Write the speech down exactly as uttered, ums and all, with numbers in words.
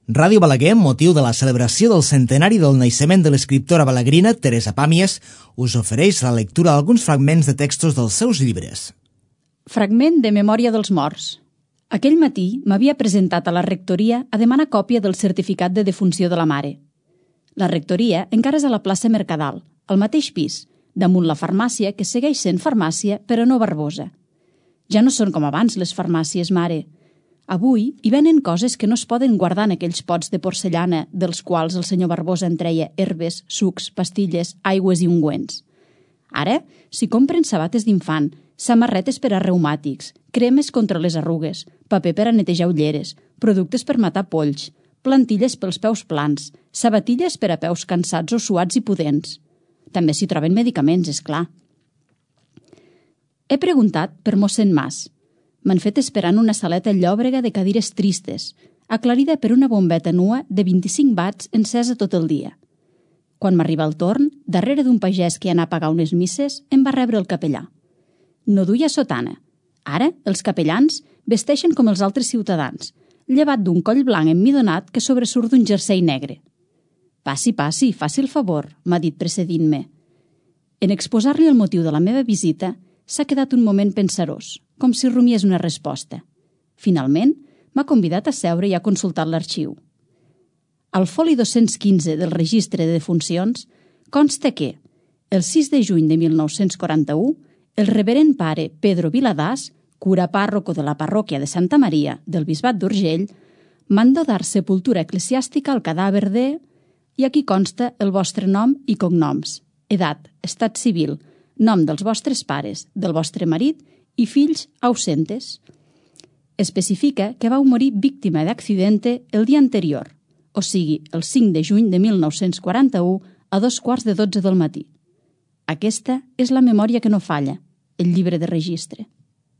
Ràdio Balaguer, amb motiu de la celebració del centenari del naixement de l'escriptora balaguerina Teresa Pàmies, us ofereix la lectura d'alguns fragments de textos dels seus llibres. Fragment de Memòria dels morts. Aquell matí m'havia presentat a la rectoria a demanar còpia del certificat de defunció de la mare. La rectoria encara és a la plaça Mercadal, al mateix pis, damunt la farmàcia, que segueix sent farmàcia, però no Barbosa. Ja no són com abans les farmàcies, mare. Avui hi venen coses que no es poden guardar en aquells pots de porcellana dels quals el senyor Barbosa en treia herbes, sucs, pastilles, aigües i ungüents. Ara s'hi compren sabates d'infant, samarretes per a reumàtics, cremes contra les arrugues, paper per a netejar ulleres, productes per matar polls, plantilles pels peus plans, sabatilles per a peus cansats o suats i pudents. També s'hi troben medicaments, és clar. He preguntat per mossèn Mas. M'han fet esperant una saleta llòbrega de cadires tristes, aclarida per una bombeta nua de vint-i-cinc watts encesa tot el dia. Quan m'arriba el torn, darrere d'un pagès que anà a pagar unes misses, em va rebre el capellà. No duia sotana. Ara, els capellans vesteixen com els altres ciutadans, llevat d'un coll blanc emmidonat que sobresurt d'un jersei negre. «Passi, passi, faci el favor», m'ha dit precedint-me. En exposar-li el motiu de la meva visita, s'ha quedat un moment pensarós, com si rumiés una resposta. Finalment, m'ha convidat a seure i ha consultat l'arxiu. Al foli dos-cents quinze del registre de defuncions consta que, el sis de juny de mil nou-cents quaranta-u, el reverend pare Pedro Viladàs, cura pàrroco de la parròquia de Santa Maria del Bisbat d'Urgell, mandó dar sepultura eclesiàstica al cadàver de... i aquí consta el vostre nom i cognoms, edat, estat civil, nom dels vostres pares, del vostre marit i fills ausentes. Especifica que vau morir víctima d'accidente el dia anterior, o sigui, el cinc de juny de mil nou-cents quaranta-u a dos quarts de dotze del matí. Aquesta és la memòria que no falla, el llibre de registre.